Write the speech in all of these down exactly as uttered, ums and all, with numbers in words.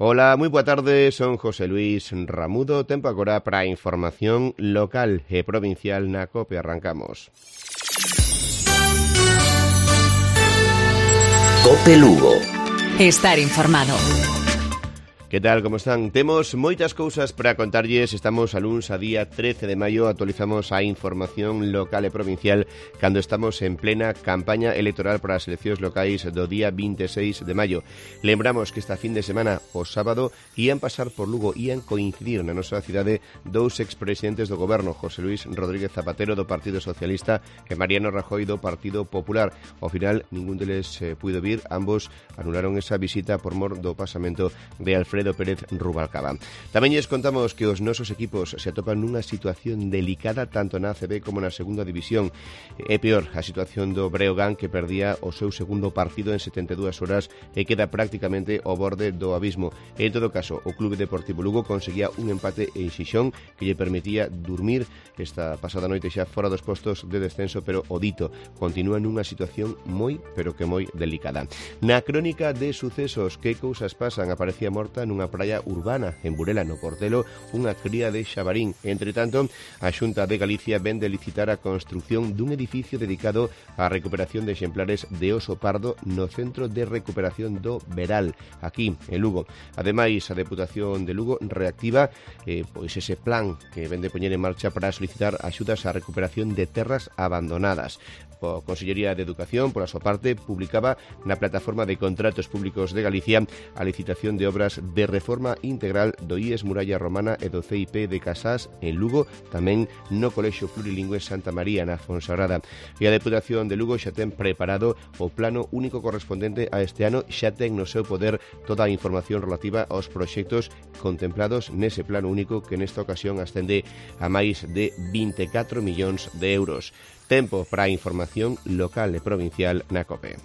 Ola, moi boa tarde, son José Luis Ramudo. Tempo agora para a información local e provincial na COPE. Arrancamos. COPE Lugo. Estar informado. Que tal, como están? Temos moitas cousas para contarlles. Estamos a luns a día trece de maio. Actualizamos a información local e provincial cando estamos en plena campaña electoral para as eleccións locais do día vinte e seis de maio. Lembramos que esta fin de semana, o sábado, ían pasar por Lugo, ían coincidir na nosa cidade dous expresidentes do goberno, José Luis Rodríguez Zapatero do Partido Socialista e Mariano Rajoy do Partido Popular. Ao final, ningún deles eh, puido vir. Ambos anularon esa visita por mor do pasamento de Alfredo Pérez Rubalcaba. Tamén lles contamos que os nosos equipos se atopan nunha situación delicada tanto na A C B como na segunda división. É peor a situación do Breogán, que perdía o seu segundo partido en setenta e dúas horas e queda prácticamente ao borde do abismo. En todo caso, o Clube Deportivo Lugo conseguía un empate en Xixón que lle permitía dormir esta pasada noite xa fora dos postos de descenso, pero o dito continúa nunha situación moi, pero que moi delicada. Na crónica de sucesos, que cousas pasan? Aparecía morta nunha praia urbana en Burela, no Portelo, unha cría de xabarín. Entre tanto, a Xunta de Galicia ven de licitar a construción dun edificio dedicado á recuperación de exemplares de oso pardo no Centro de Recuperación do Veral, aquí en Lugo. Ademais, a Deputación de Lugo reactiva eh, pois ese plan que ven de poñer en marcha para solicitar axudas á recuperación de terras abandonadas. A Consellería de Educación, por a súa parte, publicaba na plataforma de contratos públicos de Galicia a licitación de obras de reforma integral do I E S Muralla Romana e do C I P de Casás en Lugo, tamén no Colexio Plurilingüe Santa María na Fonsagrada. E a Deputación de Lugo xa ten preparado o plano único correspondente a este ano, xa ten no seu poder toda a información relativa aos proxectos contemplados nese plano único, que nesta ocasión ascende a máis de vinte e catro millóns de euros. Tempo para a información local e provincial na COPE.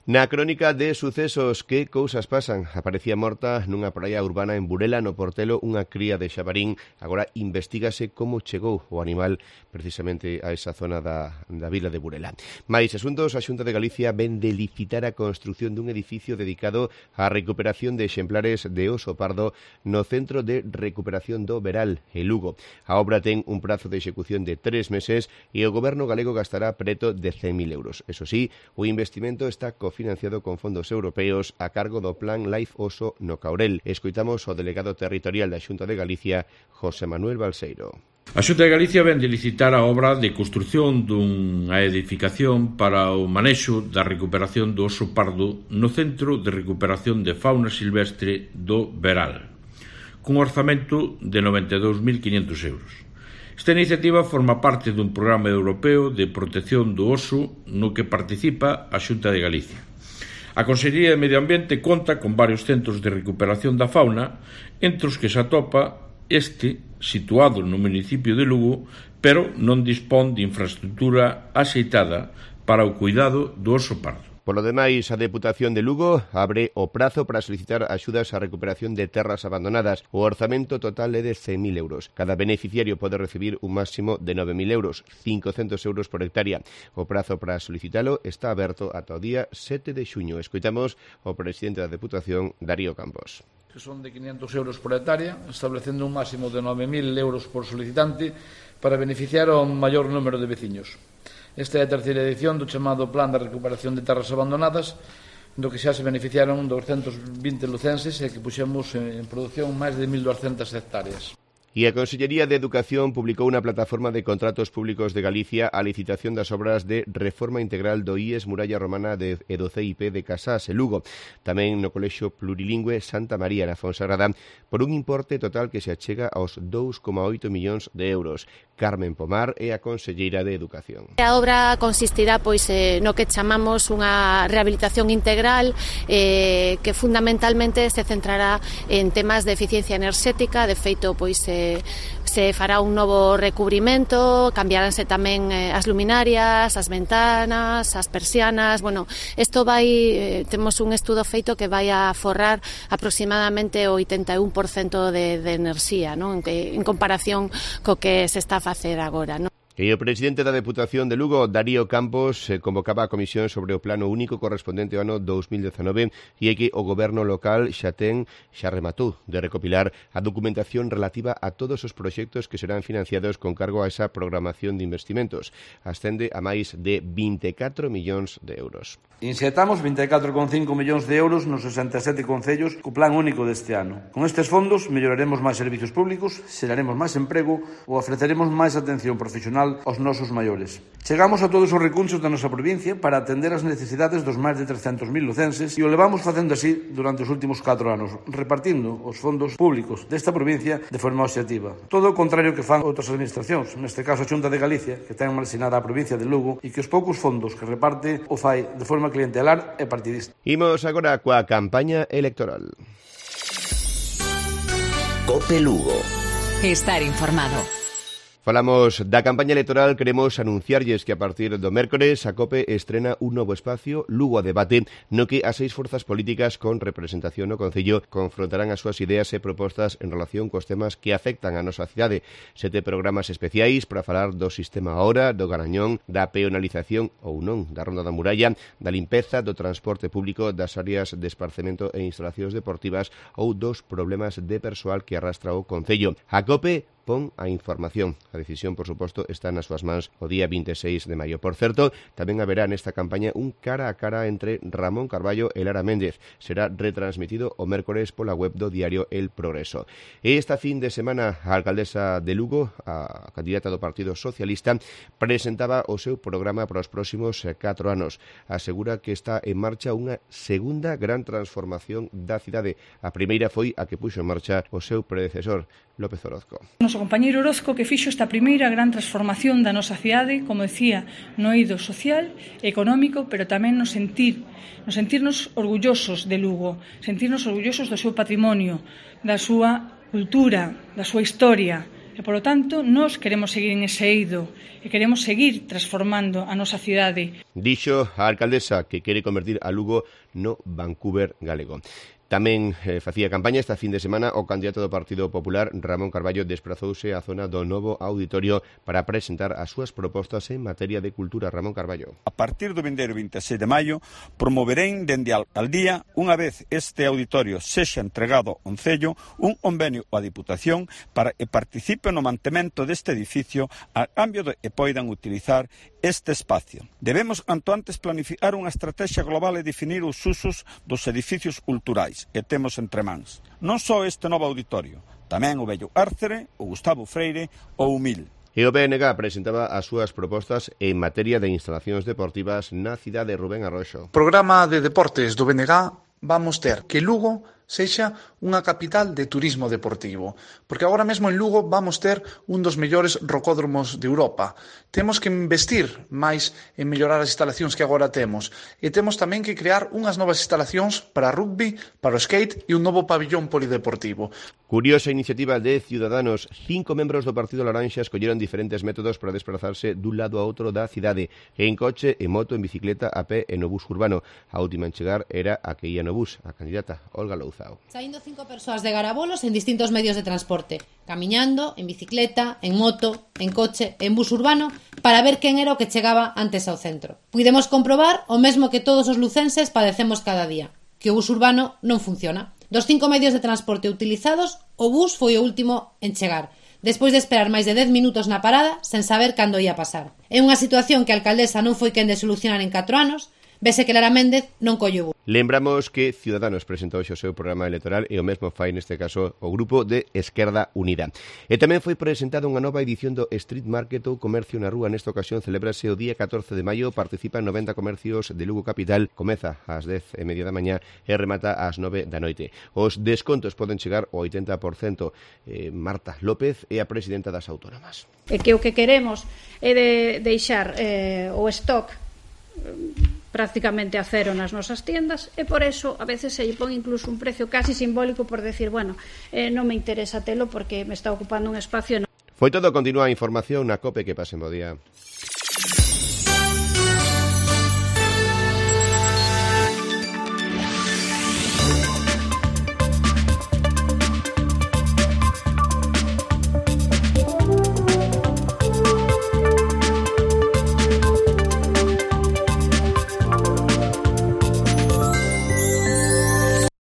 Na crónica de sucesos, que cousas pasan? Aparecía morta nunha praia urbana en Burela, no Portelo, unha cría de xabarín. Agora investígase como chegou o animal precisamente a esa zona da, da vila de Burela. Mais asuntos, a Xunta de Galicia ven de licitar a construción dun edificio dedicado á recuperación de exemplares de oso pardo no Centro de Recuperación do Veral, en Lugo. A obra ten un prazo de execución de tres meses e o goberno galego gastará preto de cen mil euros. Eso sí, o investimento está co financiado con fondos europeos a cargo do Plan Life Oso no Caurel. Escoitamos o delegado territorial da Xunta de Galicia, José Manuel Balseiro. A Xunta de Galicia ven de licitar a obra de construción dunha edificación para o manexo da recuperación do oso pardo no Centro de Recuperación de Fauna Silvestre do Veral, cun orzamento de noventa e dous mil quinhentos euros. Esta iniciativa forma parte dun programa europeo de protección do oso no que participa a Xunta de Galicia. A Consellería de Medio Ambiente conta con varios centros de recuperación da fauna, entre os que se atopa este, situado no municipio de Lugo, pero non dispón de infraestructura axeitada para o cuidado do oso pardo. Por lo demais, a Deputación de Lugo abre o prazo para solicitar axudas á recuperación de terras abandonadas. O orzamento total é de cen mil euros. Cada beneficiario pode recibir un máximo de nove mil euros, cincocentos euros por hectárea. O prazo para solicitalo está aberto ata o día sete de xuño. Escoitamos o presidente da Deputación, Darío Campos. Que son de quinhentos euros por hectárea, establecendo un máximo de nove mil euros por solicitante para beneficiar ao maior número de veciños. Esta é a terceira edición do chamado Plan de Recuperación de Terras Abandonadas, do que xa se beneficiaron doscientos vinte lucenses e que puxemos en produción máis de mil duascentas hectáreas. E a Consellería de Educación publicou na plataforma de contratos públicos de Galicia a licitación das obras de reforma integral do I E S Muralla Romana de, e do C I P de Casás e Lugo, tamén no Colexio Plurilingüe Santa María na Fonsagrada, por un importe total que se achega aos dous coma oito millóns de euros. Carmen Pomar é a conselleira de Educación. A obra consistirá pois eh, no que chamamos unha rehabilitación integral eh, que fundamentalmente se centrará en temas de eficiencia enerxética. De feito, pois eh, se fará un novo recubrimento, cambiaránse tamén eh, as luminarias, as ventanas, as persianas. Bueno, isto vai, eh, temos un estudo feito que vai a forrar aproximadamente o oitenta e un por cento de, de enerxía, non? En, que, en comparación co que se está a facer agora, non? E o presidente da Deputación de Lugo, Darío Campos, convocaba a comisión sobre o plano único correspondente ao ano dous mil dezanove e é que o goberno local xa ten, xa rematou de recopilar a documentación relativa a todos os proxectos que serán financiados con cargo a esa programación de investimentos. Ascende a máis de vinte e catro millóns de euros. Inxetamos vinte e catro coma cinco millóns de euros nos sesenta e sete concellos co plan único deste ano. Con estes fondos melloraremos máis servizos públicos, xeraremos máis emprego ou ofreceremos máis atención profesional aos nosos maiores. Chegamos a todos os recursos da nosa provincia para atender as necesidades dos máis de trescentos mil lucenses e o levamos facendo así durante os últimos catro anos, repartindo os fondos públicos desta provincia de forma obxectiva. Todo o contrario que fan outras administracións, neste caso a Xunta de Galicia, que ten marxinada a provincia de Lugo e que os poucos fondos que reparte o fai de forma clientelar e partidista. Imos agora coa campaña electoral. Cope Lugo. Estar informado. Falamos da campaña electoral, queremos anunciarlles que a partir do mércores a COPE estrena un novo espacio, Lugo a Debate, no que as seis forzas políticas con representación no Concello confrontarán as súas ideas e propostas en relación cos temas que afectan a nosa cidade. Sete programas especiais para falar do sistema ahora, do Garañón, da peonalización ou non, da Ronda da Muralla, da limpeza, do transporte público, das áreas de esparcemento e instalacións deportivas ou dos problemas de persoal que arrastra o Concello. A COPE pon a información. A decisión, por suposto, está nas súas mans o día vinte e seis de maio. Por certo, tamén haberá nesta campaña un cara a cara entre Ramón Carballo e Lara Méndez. Será retransmitido o mércores pola web do diario El Progreso. E esta fin de semana, a alcaldesa de Lugo, a candidata do Partido Socialista, presentaba o seu programa para os próximos catro anos. Asegura que está en marcha unha segunda gran transformación da cidade. A primeira foi a que puxo en marcha o seu predecesor, López Orozco. Noso compañeiro Orozco que fixo esta primeira gran transformación da nosa cidade, como decía, no eido social, económico, pero tamén no sentir, no sentirnos orgullosos de Lugo, sentirnos orgullosos do seu patrimonio, da súa cultura, da súa historia. E, polo tanto, nós queremos seguir en ese eido e queremos seguir transformando a nosa cidade. Dixo a alcaldesa que quere convertir a Lugo no Vancouver galego. Tamén eh, facía campaña esta fin de semana o candidato do Partido Popular, Ramón Carballo, desprazouse á zona do novo auditorio para presentar as súas propostas en materia de cultura. Ramón Carballo. A partir do vindeiro vinte e seis de maio, promoverei dende a alcaldía, unha vez este auditorio sexa entregado ao Concello, un convenio á Diputación para que participe no mantemento deste edificio a cambio de que poidan utilizar este espacio. Debemos, canto antes, planificar unha estrategia global e definir os usos dos edificios culturais que temos entre mans. Non só este novo auditorio, tamén o vello Árcere, o Gustavo Freire ou o Mil. E o P N G presentaba as súas propostas en materia de instalacións deportivas na cidade de Rubén Arroxo. Programa de deportes do B N G vamos ter que Lugo sexa unha capital de turismo deportivo, porque agora mesmo en Lugo vamos ter un dos mellores rocódromos de Europa. Temos que investir máis en mellorar as instalacións que agora temos e temos tamén que crear unhas novas instalacións para rugby, para o skate e un novo pabillón polideportivo. Curiosa iniciativa de Ciudadanos. Cinco membros do Partido Laranxa escolleron diferentes métodos para desplazarse dun lado a outro da cidade, en coche, en moto, en bicicleta, a pé e no bus urbano. A última en chegar era a que ia no bus, a candidata Olga Louza. Saindo cinco persoas de Garabolos en distintos medios de transporte, camiñando, en bicicleta, en moto, en coche, en bus urbano, para ver quen era o que chegaba antes ao centro. Puidemos comprobar o mesmo que todos os lucenses padecemos cada día, que o bus urbano non funciona. Dos cinco medios de transporte utilizados, o bus foi o último en chegar, despois de esperar máis de dez minutos na parada, sen saber cando ia pasar. É unha situación que a alcaldesa non foi quen de solucionar en catro anos, vese que Lara Méndez non colle o bus. Lembramos que Ciudadanos presentou o seu programa electoral e o mesmo fai neste caso o grupo de Esquerda Unida. E tamén foi presentada unha nova edición do Street Market ou Comercio na Rúa. Nesta ocasión celebrase o día catorce de maio, participan noventa comercios de Lugo Capital, comeza ás dez e media da mañá e remata ás nove da noite. Os descontos poden chegar ao oitenta por cento. Eh, Marta López é a presidenta das autónomas. E que o que queremos é de deixar eh, o stock prácticamente a cero nas nosas tiendas e por eso a veces se lle pon incluso un precio casi simbólico por decir, bueno, eh, non me interesa telo porque me está ocupando un espacio. Foi todo, continúa a información na COPE, que pasen bo día.